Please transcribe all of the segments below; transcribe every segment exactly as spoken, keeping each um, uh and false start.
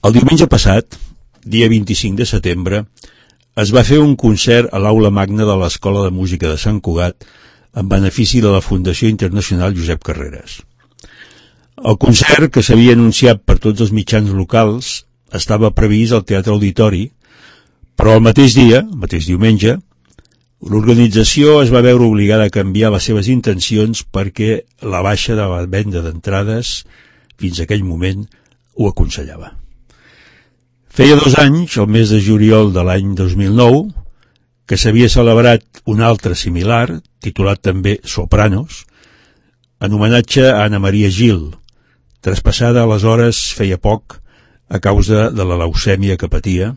El diumenge passat, dia vint-i-cinc de setembre, es va fer un concert a l'Aula Magna de l'Escola de Música de Sant Cugat en benefici de la Fundació Internacional Josep Carreras. El concert, que s'havia anunciat per tots els mitjans locals, estava previst al Teatre Auditori, però el mateix dia, el mateix diumenge, l'organització es va veure obligada a canviar les seves intencions perquè la baixa de la venda d'entrades, fins a aquell moment, ho aconsellava. Feia dos anys, el mes de juliol de l'any dos mil nou, que s'havia celebrat un altre similar, titulat també Sopranos, en homenatge a Anna Maria Gil, traspassada aleshores feia poc a causa de la leucèmia que patia,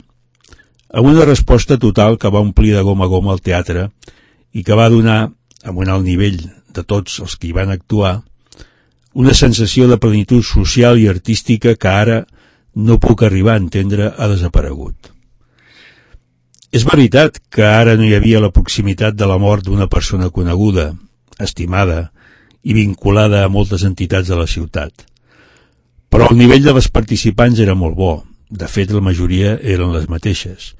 amb una resposta total que va omplir de goma a goma el teatre i que va donar, amb un alt nivell de tots els que hi van actuar, una sensació de plenitud social i artística que ara no puc arribar a entendre ha desaparegut. És veritat que ara no hi havia la proximitat de la mort d'una persona coneguda, estimada i vinculada a moltes entitats de la ciutat, però el nivell de les participants era molt bo, de fet la majoria eren les mateixes,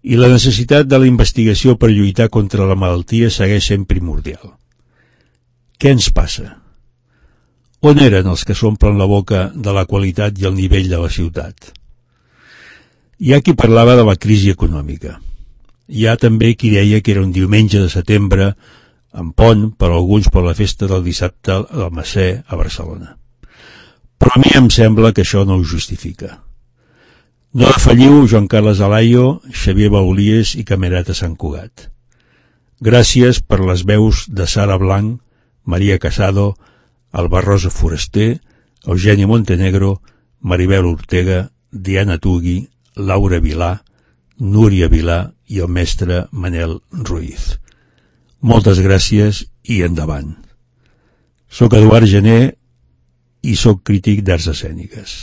i la necessitat de la investigació per lluitar contra la malaltia segueix sent primordial. Què ens passa? On eren els que s'omplen la boca de la qualitat i el nivell de la ciutat? Hi ha qui parlava de la crisi econòmica. Hi ha també qui deia que era un diumenge de setembre, en pont, per alguns per la festa del dissabte al Macer a Barcelona. Però a mi em sembla que això no ho justifica. No defalliu Joan Carles Alayo, Xavier Baulies i Camerata Sant Cugat. Gràcies per les veus de Sara Blanc, Maria Casado, Alba Rosa Foraster, Eugeni Montenegro, Maribel Ortega, Diana Tugui, Laura Vilà, Núria Vilà i el mestre Manel Ruiz. Moltes gràcies i endavant. Soc Eduard Gené i soc crític d'arts escèniques.